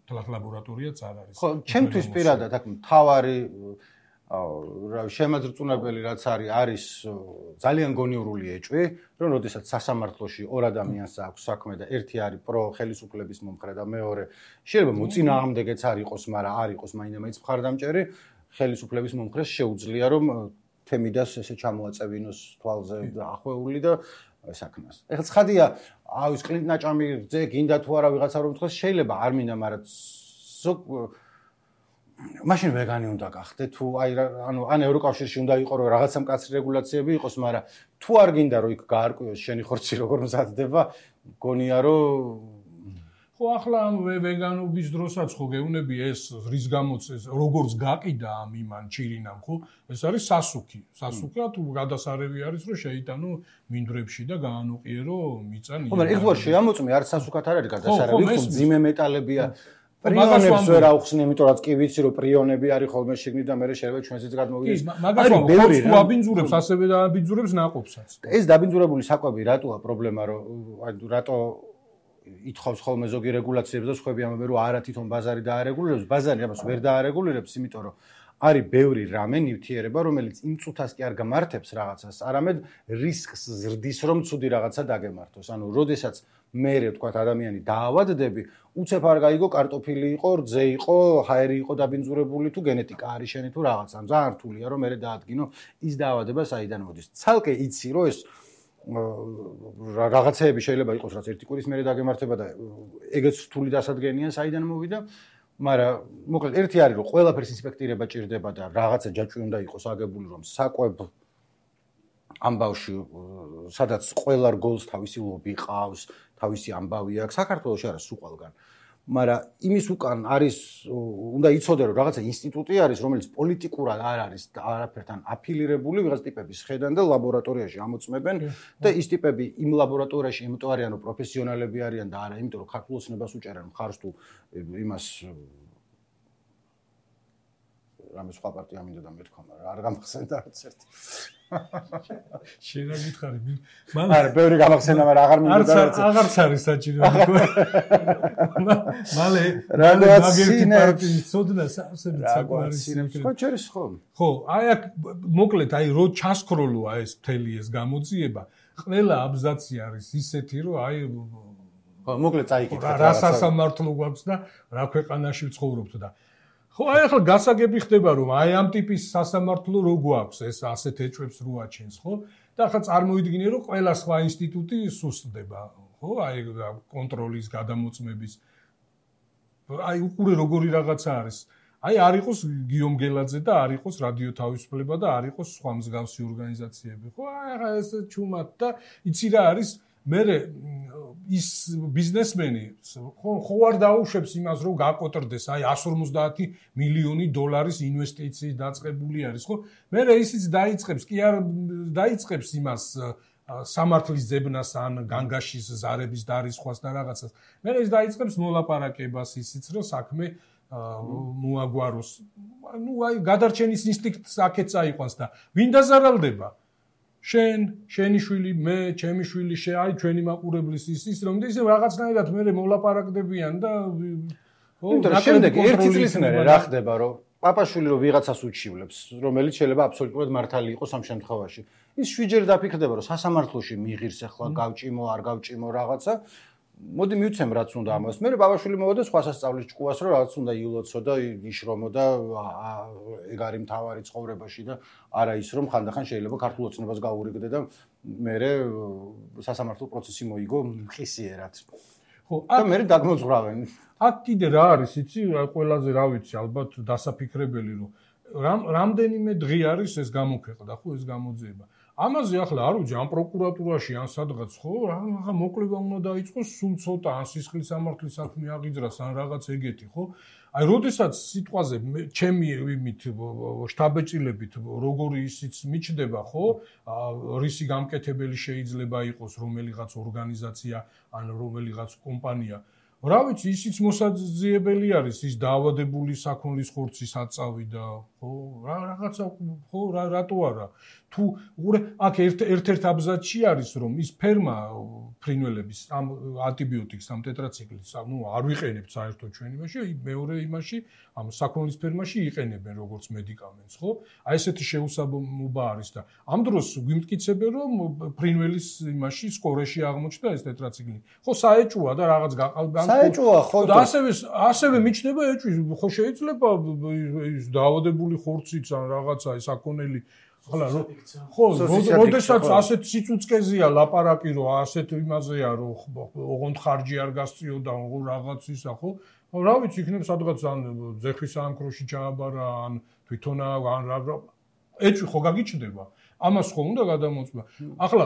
Speaker 4: თლათ ლაბორატორიაც არ არის.
Speaker 2: ხო, ჩემთვის პირადად აქ მთავარი შემაძრწუნებელი რაც არის ძალიან გონიურული ეჭვი, რომ როდესაც სასამართლოში ორ ადამიანს აქვს საქმე და ერთი არის პრო ხელისუფლების მომხრე და მეორე შეიძლება მოწინააღმდეგეც არ იყოს, მაგრამ არ იყოს მაინდა-მაინც მხარდამჭერი, ხელისუფლების მომხრეს შეუძლია რომ თემიდას ესე ჩამოაწევინოს თვალზე ახვეული და საქმეს. ეხლა ცხადია, ის კლინტ ნაჭამი რძე გინდა თუ არა ვიღაცა რომ თქვას, შეიძლება არ მინდა, მაგრამ მაშინ ვეგანი უნდა გახდე თუ ანუ ან ევროკავშირში უნდა იყო რომ რაღაცა მკაცრი რეგულაციები იყოს, მაგრამ თუ არ გინდა რომ იქ გაარკვიოს შენი ხორცი როგორ მზადდება, გონია რომ
Speaker 4: ხო ახლა ამ ვეგანობის დროსაც ხო გეუნები ეს რის გამოც ეს როგორც გაყიდა ამ იმან ჩირინამ ხო, ეს არის სასუქი. სასუქა თუ გადასარევი არის რომ შეიტანო მინდვრებში და გაანოყიერო მიწა ნიადაგი.
Speaker 2: ხო, მაგრამ ეგ შეამოწმე არც სასუქად არ არის გადასარევი, ხო ძიმე მეტალებია. პრიონებს ვერ აუხსნი, იმიტომ რომ კი ვიცი რომ პრიონები არის ხოლმე შიგნით და მე შეიძლება ჩვენზეც გადმოვიდეს.
Speaker 4: მაგას ბევრი რა აბინძურებს, ასევე დააბინძურებს ნაყოფსაც.
Speaker 2: ეს დაბინძურებული საკვები რატოა პრობლემა, რომ რატო ითხოვს ხოლმე ზოგი რეგულაციები და სხვები ამბობენ რომ არა თვითონ ბაზარი დაარეგულირებს, ბაზარი ამას ვერ დაარეგულირებს, იმიტომ რომ არის ბევრი რამე ნივთიერება, რომელიც იმ წუთას კი არ გამართებს რაღაცას, არამედ რისკს ზრდის, რომ ცუდი რაღაცა დაგემართოს. ანუ, როდესაც მე ვთქვათ ადამიანი დაავადდები, უცებ არ გაიგო კარტოფილი იყო, რძე იყო, ჰაერი იყო დაბინძურებული თუ გენეტიკა არის შენი თუ რაღაცა. ძალიან რთულია რომ მე დაადგინო ის დაავადება საიდან მოდის. ცალკე იცი რომ ეს რაღაცეები შეიძლება იყოს რაც ერთი კვირის მერე დაგემართება და ეგეც რთული დასადგენია საიდან მოვიდა. მაგრამ მოკლედ ერთი არის რომ ყველაფერს ინსპექტირება ჭირდება და რაღაცა ჯაჭვი უნდა იყოს აგებული რომ საკვებ ამბავში სადაც ყველა რგოლს თავისი ლობი ყავს, თავისი ამბავი აქვს საქართველოში არა სულ ყველგან. მაგრამ იმის უკან არის უნდა იცოდე რომ რაღაცა ინსტიტუტი არის რომელიც პოლიტიკურად არ არის არაფერთან აფილირებული ვიღაც ტიპების ხედან და ლაბორატორიაში ამოწმებენ და ის ტიპები იმ ლაბორატორიაში იმიტომ არიან რომ პროფესიონალები არიან და არა იმიტომ რომ ქართულ ოცნებას უჭერენ მხარს თუ იმას რამე სხვა პარტია მინდა და მეთქვა მაგრამ არ გამახსენდა არც ერთი
Speaker 4: შენ რა გითხარი
Speaker 2: არა ბევრი გამახსენდა მაგრამ აღარ მინდა და
Speaker 4: აღარც არის საჭირო მალე მაგერთი პარტიის ცოდნა სასწრაფოდ საკვარისინებს
Speaker 2: ხო ჩერის ხო
Speaker 4: ხო აი აქ მოკლედ აი რო ჩასქროლოა ეს მთელი ეს გამოძიება ყველა აბზაცი არის ისეთი რომ აი
Speaker 2: ხო მოკლედ წაიკითხეთ
Speaker 4: რა სასამართლო გვაქვს და რა ქვეყანაში ვცხოვრობთ და ხო აი ახლა გასაგები ხდება რომ აი ამ ტიპის სასამართლო რო გვაქვს ეს ასეთ ეჭვებს რო აჩენს ხო და ახლა წარმოიდგინე რომ ყველა სხვა ინსტიტუტი სუსტდება ხო აი კონტროლის გადამოწმების აი უყურე როგორი რაღაცა არის აი არ იყოს გიომ გელაძე და არ იყოს რადიო თავისუფლება და არ იყოს სხვა მსგავსი ორგანიზაციები ხო აი ახლა ეს ჩუმად და იცი რა არის მე ის ბიზნესმენი ხო არ დაუშვებს იმას რომ გაკოტრდეს აი 150 მილიონი დოლარის ინვესტიციის დაწყებული არის ხო მე ისიც დაიწყებს კი არ დაიწყებს იმას სამართლის ძებნას ან განგაშის ზარების დარისხვას და რაღაცას მე ის დაიწყებს მოლაპარაკებას ისიც რომ საქმე მოაგვაროს ну აი გადარჩენის ინსტინქტს აქეთ წაიყვანს და ვინ დაზარალდება შენი შვილი, მე, ჩემი შვილი, აი ჩვენი მაყურებლის ის რომ ისე რაღაცნაირად მე მოლაპარაკდებიან და
Speaker 2: ხო, შემდეგ ერთი წლის მერე რა ხდება, რომ პაპაშვილი რომ ვიღაცას უჩივლებს, რომელიც შეიძლება აბსოლუტურად მართალი იყოს ამ შემთხვევაში. ის შვიჯერ დაფიქრდება, რომ სასამართლოში მიიღირს ახლა გავჭიმო, არ გავჭიმო რაღაცა. მოდი მივცემ რაც უნდა ამას. მე ბაბაშვილი მოვიდა სხვა სასწავლის ჭკუას რომ რაღაც უნდა იულოცო და იშრომო და ეგ არის მთავარი ცხოვრებაში და არა ის რომ ხანდახან შეიძლება ქართულ ოცნებას გაურიგდე და მე სასამართლო პროცესი მოიგო მყისიერად. ხო, და მე დაგმოძღვრავენ.
Speaker 4: აქ კიდე რა არის, იცი, ყველაზე რა ვიცი, ალბათ დასაფიქრებელი რომ რამდენიმე დღე არის ეს გამოქვეყნდა, ხო, ეს გამოძიება. ამაზე ახლა არ ვიცი ამ პროკურატურაში ან სადღაც ხო რა მოკლება უნდა დაიწყოს სულ ცოტა ან სისხლის სამართლის საქმე აღიძრას ან რაღაც ეგეთი ხო აი როდესაც სიტყვაზე ჩემი იმით შტაბეჭილებით როგორი ისიც მიჩდება ხო რისი გამკეთებელი შეიძლება იყოს რომელიღაც ორგანიზაცია ან რომელიღაც კომპანია რა ვიცი ისიც მოსაძიებელი არის ის დაავადებული საქონლის ხორცის აწავი და ხო რაღაცა ხო რატო არა თუ უყურე აქ ერთ-ერთ აბზაცში არის რომ ის ფერმა ფრინველების ამ ანტიბიოტიკს ამ ტეტრაციკლს ნუ არ ვიყენებთ საერთოდ ჩვენ იმაში მეორე იმაში ამ საქონლის ფერმაში იყენებენ როგორც მედიკამენტს ხო აი ესეთი შეუსაბამობა არის და ამ დროს გვიმტკიცებენ რომ ფრინველის იმაში სკორეში აღმოჩნდა ეს ტეტრაციკლი ხო საეჭვოა და რაღაც გაყალბან
Speaker 2: საეჭვოა ხო
Speaker 4: და ასევე მიჩნდება ეჭვი ხო შეიძლება ის დაავადებული ხორციც ან რაღაცა ეს საქონელი ახლა ხო როდესაც ასეთ სიცუწკეზეა ლაპარაკი რომ ასეთ იმაზეა რომ ოღონდ ხარჯი არ გასწიო და რაღაც ისა ხო რა ვიცი იქნებ სადღაც ან ძეხვის საამქროში ჩააბარა ან თვითონ ან ეჭვი ხო გაგიჩნდება ამას ხო უნდა გადამოწმა ახლა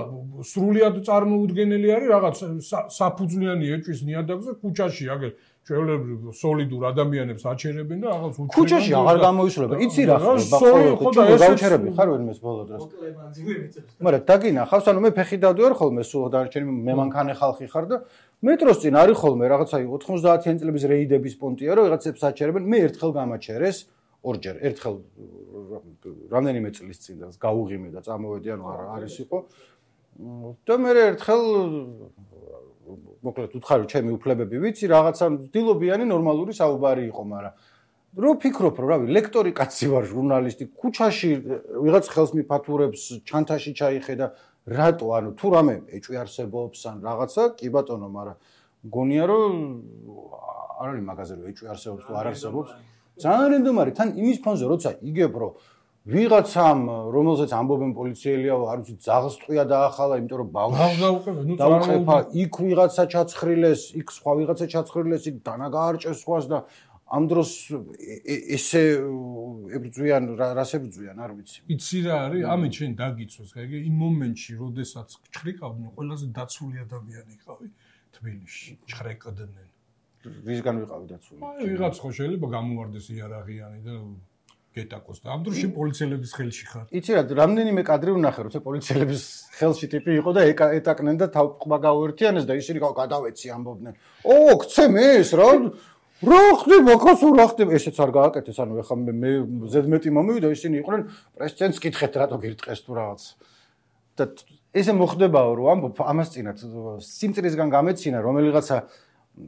Speaker 4: სრულიად წარმოუდგენელი არის რაღაც საფუძვლიანი ეჭვის ნიადაგზე ქუჩაში აგერ ჩვეულებრივ სოლიდურ ადამიანებს აჩერებენ და რაღაც უჩერებენ
Speaker 2: ქუჩაში აღარ გამოისვლება იცი რა ხო და გავჩერები ხარ ვერმეს ბოლო დროს მაგრამ დაგინახავს ანუ მე ფეხი დავდივარ ხოლმე სულ დარჩენი მე მანქანე ხალხი ხარ და მეტროს წინ არის ხოლმე რაღაცა 90-იან წლების რეიდების პონტია რომ რაღაცებს აჩერებენ მე ერთხელ გამაჩერეს ორჯერ ერთხელ რამდენიმე წლის წინ და გაუღიმე და წამოვედი ანუ არის იყო და მე ერთხელ მოკლედ უთხარი ჩემი უფლებები ვიცი, რაღაცა დილობიანი ნორმალური საუბარი იყო, მაგრამ რო ფიქრობ, რომ რავი, ლექტორი კაცი ვარ, ჟურნალისტი, ქუჩაში ვიღაც ხელს მიფათურებს, ჩანთაში ჩაიხედა, რატო, ანუ თუ რამე ეჭვი არსებობს ან რაღაცა, კი ბატონო, მაგრამ გონია რომ არ არის მაგაზე რომ ეჭვი არსებობს თუ არ არსებობს. ძალიან რენდომარი, თან იმის ფონზე როცა იგებ, რომ ვიღაცამ, რომელზეც ამბობენ პოლიციელია, არ ვიცი, ძაღლს ტყვია დაახალა, იმიტომ რომ ბავშვს დაუყეფა, იქ ვიღაცა ჩაცხრილეს, იქ სხვა ვიღაცა ჩაცხრილეს, იქ დანა გაარჭეს სხვას და ამ დროს ესე ებრძვიან, რას ებრძვიან, არ ვიცი.
Speaker 4: იცი რა არის? ამით შენ დაგიწვეს, ხაი, იმ მომენტში, როდესაც ჩხრიკავდნენ, ყველაზე დაცული ადამიანი იყავი თბილისში, ჩხრეკდნენ.
Speaker 2: ვისგან ვიყავი დაცული?
Speaker 4: აი, ვიღაც ხო შეიძლება გამოვარდეს იარაღიანი და გეტაკოს და ამ დროში პოლიციელების ხელში ხარ.
Speaker 2: იცი რა, რამდენიმე კადრი ვნახე, როცა პოლიციელების ხელში ტიპი იყო და ეტაკნენ და თავყბა გაუერთიანეს და ისინი გადავეცი ამბობდნენ. ო, გცემ ეს რა? რა ხდება, კაცო, რა ხდება? ესეც არ გააკეთეს, ანუ ეხლა მე ზედმეტი მომივიდა, ისინი იყვნენ პრეზიდენტს კითხეთ, რატო გირტყეს თუ რაღაც. და ესე მოხდებაო, რომ ამბობ ამას წინათ სიმწირისგან გამეცინა, რომელიღაცა,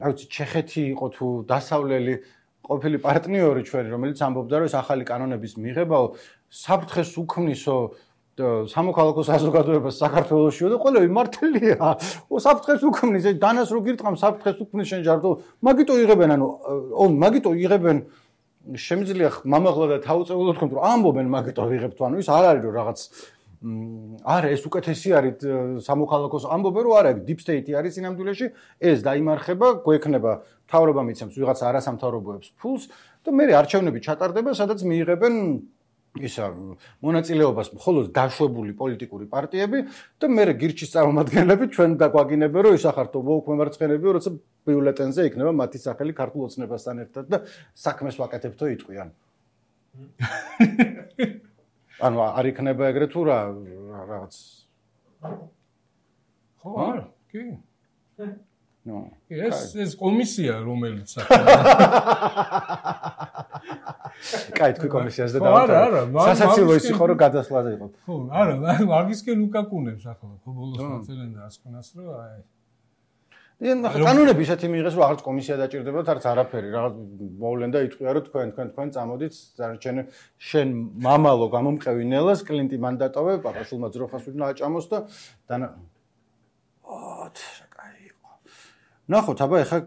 Speaker 2: რა ვიცი, ჩეხეთი იყო თუ დასავლელი ყოფილი პარტნიორი ჩვენი, რომელიც ამბობდა, რომ ეს ახალი კანონების მიღებაო საფრთხეს უქმნისო სამოქალაქო საზოგადოებას საქართველოსშიო და ყველები მართლია. საფრთხეს უქმნის, დანას რო გირტყამ საფრთხეს უქმნის შენ ჯარდო, მაგიტო იღებენ, ანუ მაგიტო იღებენ შემიძლია მამაღლა და თავწეულოდ თქვენ, რომ ამბობენ მაგიტო ვიღებთ, ანუ ის არ არის რომ რაღაც არა ეს უკეთესი არის სამოქალაქოს ამბობენ რომ არა deep state-ი არის სინამდვილეში ეს დაიმარხება გვექნება მთავრობა მიცემს ვიღაც არასამთავრობოებს ფულს და მე არჩევნები ჩატარდება სადაც მიიღებენ ისა მონაწილეობას მხოლოდ დაშვებული პოლიტიკური პარტიები და მე გირჩის წარმომადგენლები ჩვენ დაგვაგინებენ რომ ისახართო ვოუკ მემარცხენეები როცა ბიულეტენზე იქნება მათი სახელი ქართულ ოცნებასთან ერთად და საქმეს ვაკეთებთო იტყვიან ანუ არ იქნება ეგრე თუ რა რაღაც
Speaker 4: ხო არა კი
Speaker 2: ნო
Speaker 4: ეს კომისია რომელიც
Speaker 2: კაი თქვი კომისიას და დავწერე სასაცილო ის იყო რომ გადასვლაზე იყო
Speaker 4: ხო არა მაგისკენ უკაკუნებს ახლა ხო ბოლოს მაწერენ და ასკნას რომ აი
Speaker 2: კანონები ისეთი მიიღეს რომ აღარც კომისია დაჭირდებათ არც არაფერი რაღაც მოვლენ და იტყვია რომ თქვენ წამოდით შენ მამალო გამომყევი ნელას კლინტი მანდატოვე პაპაშულმა ძროხას უნდა აჭამოს და ნახოთ აბა ეხა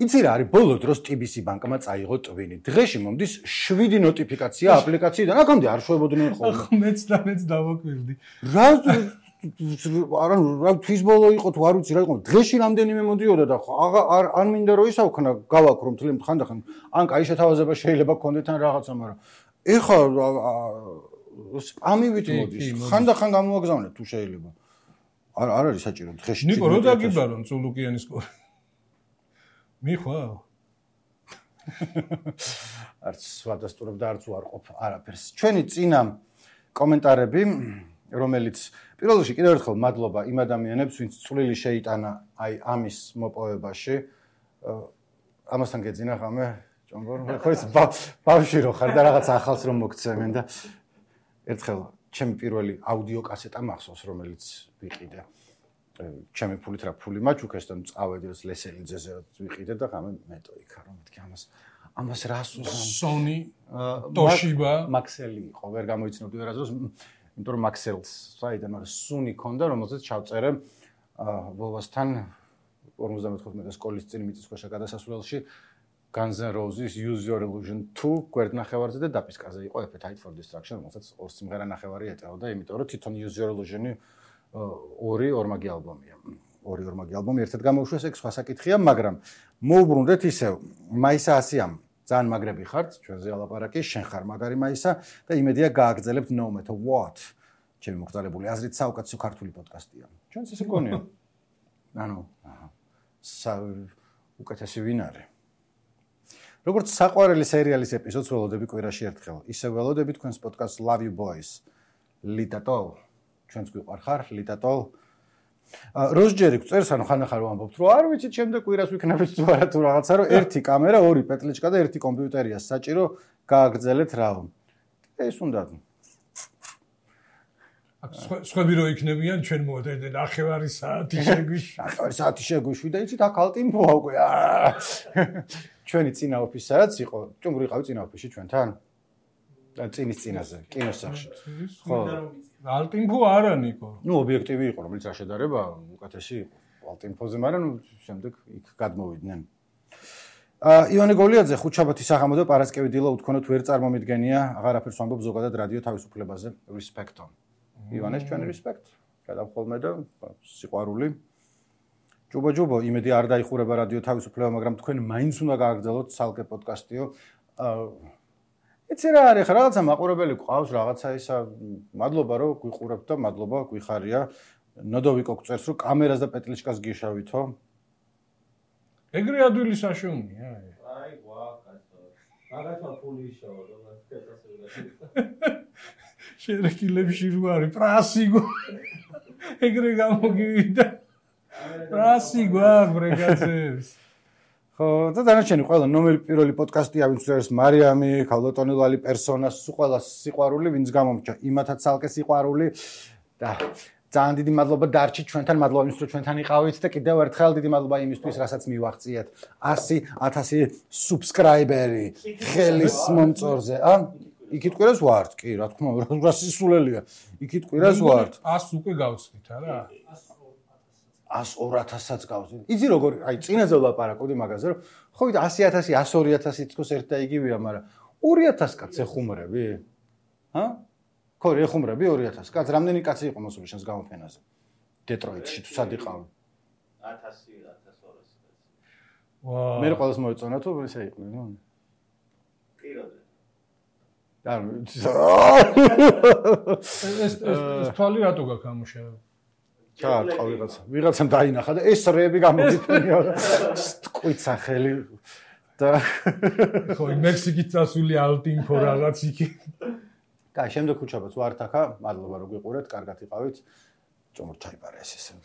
Speaker 2: იცი რა არის ბოლო დროს TBC ბანკმა წაიღო ტვინი დღეში მომდის 7 ნოტიფიკაცია აპლიკაციიდან აქამდე არ შვებოდნენ ხოლმე
Speaker 4: მეც დავაკვირდი
Speaker 2: რა რა თვის ბოლო იყო თუ არ ვიცი რა იყო დღეში რამდენიმე მოდიოდა და არ მინდა რომ ისავქნა გავაკრო მთლიან ხანდახან ან კაი შეთავაზება შეიძლება გქონდეთ ან რაღაცა მაგრამ ეხა სპამივით მოდის ხანდახან გამოვაგზავნეთ თუ შეიძლება არ არის საჭირო დღეში
Speaker 4: ნიკო რო დაგიბარონ წულუკიანის კორი მიხვა
Speaker 2: არც ვადასტურებ და არც უარყოფ არაფერს ჩვენი წინა კომენტარები რომელიც პირველ რიგში კიდევ ერთხელ მადლობა იმ ადამიანებს ვინც წვლილი შეიტანა აი ამის მოპოვებაში ამასთან გეძინა ხამე ჭონგორ ხო ის ბავშვი რო ხარ და რაღაც ახალს რომ მოგცემენ და ერთხელ ჩემი პირველი აუდიო კასეტა მახსოვს რომელიც ვიყიდე ჩემი ფულით რა ფული მაჩუქეს და წავედი ლესელიძეზე ვიყიდე და ხამე მეტო იქა რომ მეთქი ამას რას უზამ
Speaker 4: სონი ტოშიბა
Speaker 2: მაქსელი იყო ვერ გამოიცნობდი ვერასდროს იმიტომ რომ მაქსელს საიდან მაგრამ სუნი ქონდა რომელზეც ჩავწერე ვოვასთან 55 სკოლის წინ მიწისქვეშა გადასასვლელში Guns N' Roses Use Your Illusion 2 გვერდნახევარზე და დაპისკაზე იყო Appetite for Destruction რომელსაც ორ სიმღერა ნახევარი ეტეოდა იმიტომ რომ თვითონ Use Your Illusion-ი ორი ორმაგი ალბომი ერთად გამოუშვეს ეგ სხვა საკითხია მაგრამ მოუბრუნდეთ ისევ მაისა ასიამ ძალიან მაგრები ხართ ჩვენზე ალაპარაკი შენ ხარ მაგარი მაისა და იმედია გააგრძელებთ No Matter What ჩემი მოგზაურებული აზრით საუკეთესო ქართული პოდკასტია ჩვენც ესე გონია ანუ უკეთესი ვინ არის როგორც საყვარელი სერიალის ეპიზოდს ველოდები კვირაში ერთხელ ისე ველოდები თქვენს პოდკასტს Love You Boys ლიტატოლ ჩვენც გვიყვარხარ ლიტატოლ როზჯერი გწერს ანუ ხანახარ ვამბობთ რომ არ ვიცით შემდეგ კვირას ვიქნებით თუ არა თუ რაღაცა რომ ერთი კამერა ორი პეტლიჩკა და ერთი კომპიუტერია საჭირო გააგრძელეთ რა ეს უნდა
Speaker 4: აქ სხვები რო იქნებიან ჩვენ მოვედეთ 9 საათი შეგვიშვი.
Speaker 2: 9 საათი შეგვიშვი და იცით აქ ალტიმფოა უკვე. ჩვენი წინა ოფისი სადაც იყო? ჭუმური იყავი წინა ოფისში ჩვენთან? წინის წინაზე, კინოსახლში. ხო.
Speaker 4: ალტიმფო არა ნიკო.
Speaker 2: ნუ ობიექტივი იყო, რომელიც არ შედარება უკეთესი იყო. ალტიმფოზე, მაგრამ შემდეგ იქ გადმოვიდნენ. ივანე გოლიაძე ხუთშაბათის საღამოდან პარასკევი დილა უთქონოთ ვერ წარმომიდგენია, აღარაფერს ვამბობ ზოგადად რადიო თავისუფლებაზე. Respect-on. ივანეს ჩვენ respect. გადავხოლმე და სიყვარული. ჯუბო, იმედი არ დაიხურება რადიო თავისუფლება, მაგრამ თქვენ მაინც უნდა გააგრძელოთ ცალკე პოდკასტიო. იცი რა არის, რაღაცა მაყურებელი გვყავს, რაღაცა ისა, მადლობა რომ გვიყურებთ და მადლობა გვიხარია. ნოდოვიკო გწერს რომ კამერას და პეტლიჩკას გიშავითო.
Speaker 4: ეგრე ადვილი საშუალია.
Speaker 1: აი, კაცო. მაგათმა ფული ისავა და
Speaker 4: შერეკილებში რო არის პრასი გო. ეგრე გამოგივიდა. პრასი გვარ ბრეგაცებს.
Speaker 2: ხო, და დანარჩენი ყველა ნომერი პირველი პოდკასტია, ვინც არის მარიამი, ქალბატონილალი პერსონას, ყველა სიყვარული, ვინც გამომჭა, იმათაც ცალკე სიყვარული და ძალიან დიდი მადლობა დარჩით ჩვენთან, მადლობა იმისთვის, რომ ჩვენთან იყავით და კიდევ ერთხელ დიდი მადლობა იმისთვის, რასაც მივაღწიეთ 100,000 subscriber-ი ხელის მომწორზე. იქით კვირას ვართ, კი, რა თქმა უნდა, რა სისულელია. იქით კვირას ვართ.
Speaker 4: 100 უკვე გავცდით, არა?
Speaker 2: 102,000-ს გავზით. იცი როგორ, აი წინაზე ვლაპარაკობდი მაგაზე, რომ ხო ვიდა 100,000, 102,000 თქოს ერთ და იგივეა, მაგრამ 2,000 კაცს ეხუმრები? ჰა? ხო, ეხუმრები 2,000 კაცს. რამდენი კაცი იყო მოსული შენს გამოფენაზე? დეტროიტში თუ სად იყავი?
Speaker 1: 1000, 1200 კაცი.
Speaker 4: ვაა.
Speaker 2: მე ყველას მოეწონა თუ ესე იყო, ნუ?
Speaker 1: პირადად.
Speaker 4: ეს თვალი რატო გაქამუშავე?
Speaker 2: ჩაატყა ვიღაცამ დაინახა და ეს რეები გამოგიფენია ტყვიცა ხელი და
Speaker 4: ხო მექსიკის წასული ალტინფო რაღაც იქი.
Speaker 2: კაი, შემდეგ ხუთშაბათს ვართ ახლა, მადლობა რომ გიყურეთ, კარგად იყავით. ჭომურ ჩაიბარა ეს ესე.